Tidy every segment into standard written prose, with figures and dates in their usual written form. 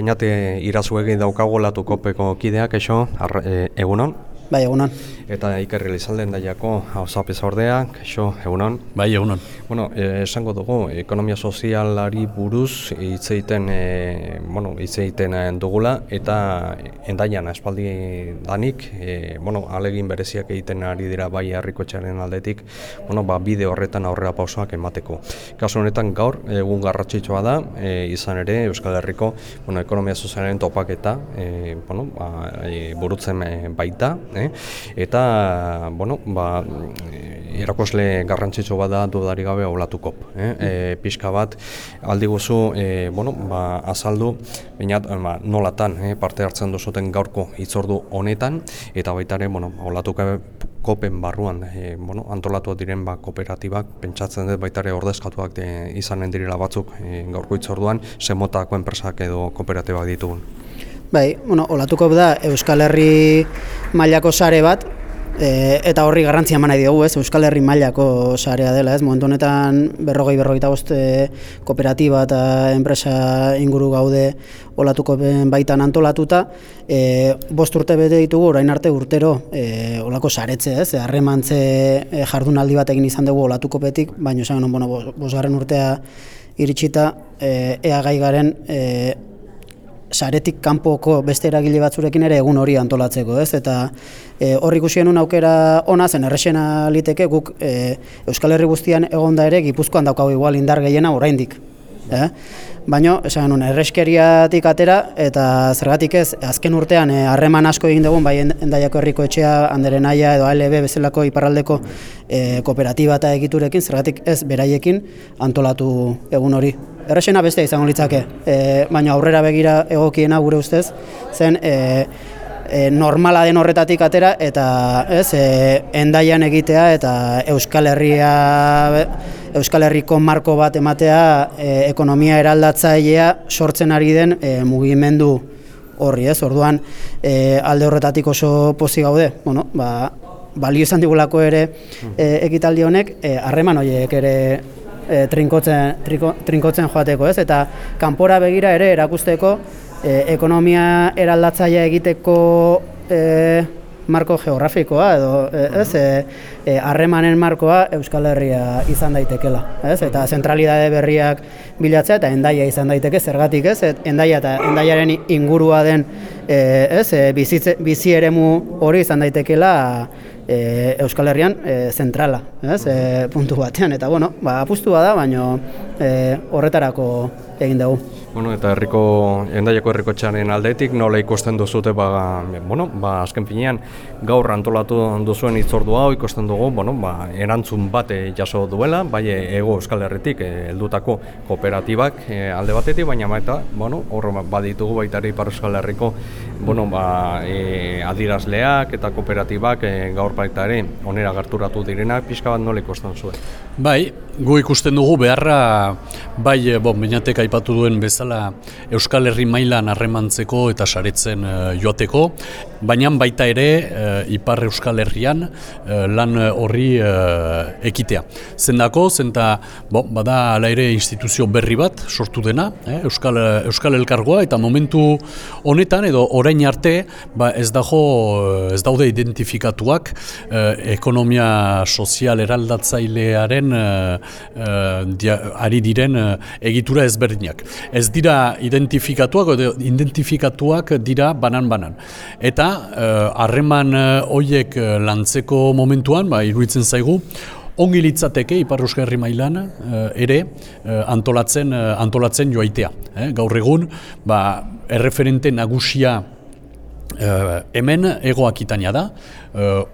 Eñate irazuegi daukago latukopeko kideak, egunon? Bai, egunon. Eta Iker Elizalden daiako hauzapeza ordea, egunon? Bai, egunon. Bueno, esango dugu, ekonomia sozialari buruz hitz egiten dugula, eta endaian espaldi danik, alegin bereziak egiten ari dira bai herrikotxearen aldetik, bide horretan aurrera pausoak emateko. Kasu honetan gaur, egun garrantzitsua da, izan ere Euskal Herriko ekonomia sozialaren topaketa burutzen baita, eta erakosle garrantzitsu bada dudarik gabe olatukop. Pixka bat aldi guzu azaldu nolatan parte hartzen duzuten gaurko hitzordu honetan, eta baita ere olatukopen barruan antolatu diren kooperatibak, pentsatzen dut baita ere ordezkatuak izanen direla batzuk gaurko hitzorduan, zemotako enpresak edo kooperatibak ditugun. Bai, olatukop da Euskal Herri mailako sare bat, eta horri garrantzia eman nahi diogu, Euskal Herri mailako sarea dela, momentu honetan 40-45 kooperatiba eta enpresa inguru gaude olatukopen baitan antolatuta. 5 urte bete ditugu, orain arte urtero olako saretze, harremantze jardunaldi bat egin izan dugu olatukopetik, baina esan 5. urtea iritsita ea gai garen saretik kanpoko beste eragile batzurekin ere egun hori antolatzeko, eta hor ikusi genuen aukera ona zen, errexena liteke guk Euskal Herri guztian egonda ere Gipuzkoan daukagu igual indar gehiena oraindik. Baina, esan genuen, erreskeriatik atera, eta zergatik ez, azken urtean harreman asko egin dugun, bai Endaiako Herriko Etxea, Andere Naia edo ALB bezalako iparraldeko kooperatiba eta egiturekin, zergatik ez beraiekin antolatu egun hori. Errexena bestea izango litzake, baina aurrera begira egokiena gure ustez, zen normala den horretatik atera, eta Endaian egitea eta Euskal Herriko marko bat ematea ekonomia eraldatzailea sortzen ari den mugimendu horri, Orduan alde horretatik oso pozik gaude, balio izan digulako ere ekitaldi honek, harreman horiek ere trinkotzen joateko, eta kanpora begira ere erakusteko ekonomia eraldatzailea egiteko marko geografikoa edo harremanen markoa Euskal Herria izan daitekela, eta zentralidade berriak bilatzea eta Endaia izan daiteke, zergatik Endaia eta Endaiaren ingurua den bizi eremu hori izan daitekela Euskal Herrian zentrala, puntu batean, eta apustua da, baina horretarako egin dugu. Eta Endaiako Herrikotxearen aldetik nola ikusten duzute, azken finean gaur antolatu duzuen hitzordu hau ikusten dugu, erantzun bat jaso duela, bai Hego Euskal Herritik heldutako kooperatibak alde batetik, baina hor baditugu baita ere Ipar Euskal Herriko adierazleak eta kooperatibak gaur baita ere onera gerturatu direnak, pixka bat nola ikusten zuen? Bai, gu ikusten dugu beharra, bai, Beñatek aipatu duen bezala Euskal Herri mailan harremantzeko eta saretzen joateko, baina baita ere Ipar Euskal Herrian lan horri ekitea. Zendako, bada ala ere instituzio berri bat sortu dena, Euskal Elkargoa, eta momentu honetan edo orain arte ez daude identifikatuak ekonomia sozial eraldatzailearen ari diren egitura ezberdinak. Ez dira identifikatuak dira banan-banan. Eta harreman horiek lantzeko momentuan, iruditzen zaigu, ongi litzateke Ipar Euskal Herri mailan ere antolatzen joaitea. Gaur egun, erreferente nagusia hemen Hego Akitania da,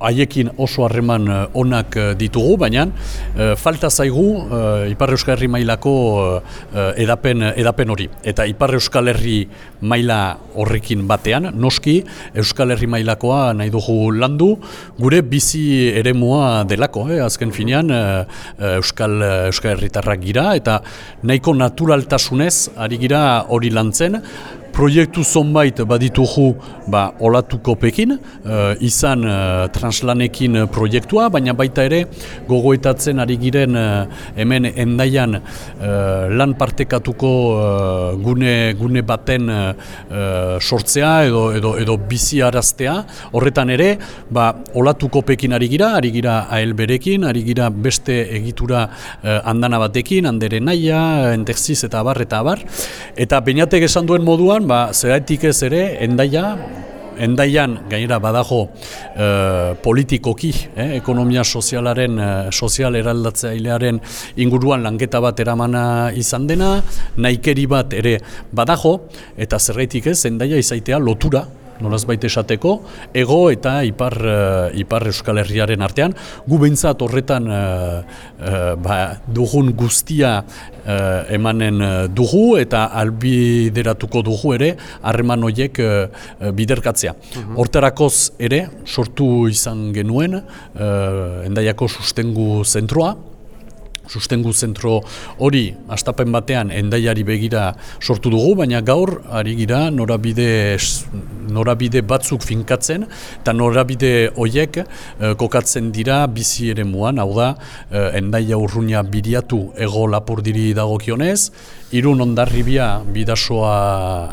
haiekin oso harreman onak ditugu, baina falta zaigu Ipar Euskal Herri mailako edapen hori. Eta Ipar Euskal Herri maila horrekin batean, noski Euskal Herri mailakoa nahi dugu landu, gure bizi eremua delako, azken finean Euskal Herritarrak gira, eta nahiko naturaltasunez ari gira hori lantzen, proiektu zonbait baditugu olatukopekin, izan translanekin proiektua, baina baita ere gogoetatzen ari giren hemen Hendaian lan partekatuko gune baten sortzea edo bizi araztea. Horretan ere, olatukopekin ari gira ALB-rekin, ari gira beste egitura andana batekin, Andere Naia, Enterziz eta abar. Eta Beñatek esan duen moduan, zergatik ez ere, Hendaian gainera badago politikoki, ekonomia sozial eraldatzailearen inguruan lanketa bat eramana izan dena, nahikeri bat ere badago, eta zergatik ez, Hendaia izaitea lotura, nolazbait esateko, ego eta ipar Euskal Herriaren artean. Gu behintzat horretan dugun guztia emanen dugu eta albideratuko dugu ere harreman horiek biderkatzea. Hortarakoz ere sortu izan genuen Hendaiako sustengu zentroa. Sustengu zentro hori hastapen batean Hendaiari begira sortu dugu, baina gaur ari gira norabide batzuk finkatzen eta norabide horiek kokatzen dira bizi eremuan, hau da Hendaia Urruña Biriatu Hego Lapurdiri dagokionez, Irun Hondarribia Bidasoa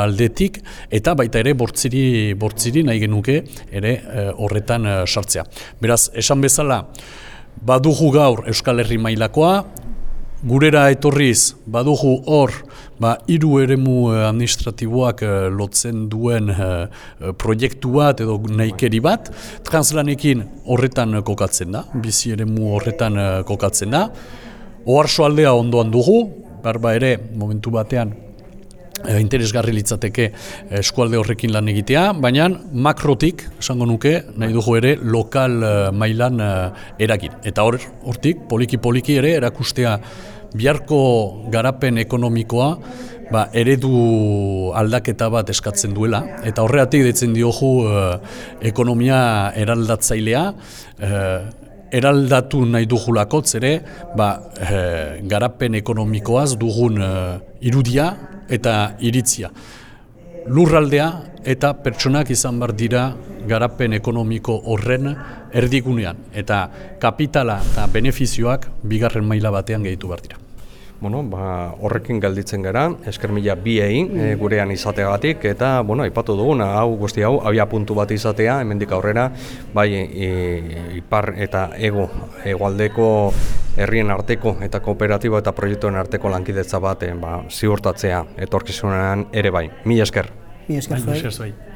aldetik eta baita ere bortziri nahi genuke ere horretan sartzea. Beraz, esan bezala, badugu gaur Euskal Herri mailakoa, gurera etorriz badugu hor 3 eremu administratiboak lotzen duen proiektu bat edo nahikeri bat, translanekin horretan kokatzen da, bizi eremu horretan kokatzen da. Oarsoaldea ondoan dugu, ere momentu batean interesgarri litzateke eskualde horrekin lan egitea, baina makrotik, esango nuke, nahi dugu ere lokal mailan eragin. Eta hortik, poliki ere erakustea biharko garapen ekonomikoa eredu aldaketa bat eskatzen duela, eta horregatik deitzen diogu ekonomia eraldatzailea, eraldatu nahi dugulakotz ere, garapen ekonomikoaz dugun irudia eta iritzia. Lurraldea eta pertsonak izan bar dira garapen ekonomiko horren erdigunean, eta kapitala eta benefizioak bigarren maila batean gehitu behar dira. Horrekin gelditzen gara, esker mila biei gurean izateagatik, eta aipatu duguna, guzti hau, abia puntu bat izatea, hemendik aurrera, bai ipar eta hegoaldeko herrien arteko eta kooperatibo eta proiektuen arteko lankidetza bat ziurtatzea etorkizunean ere bai. Mila esker. Mila esker.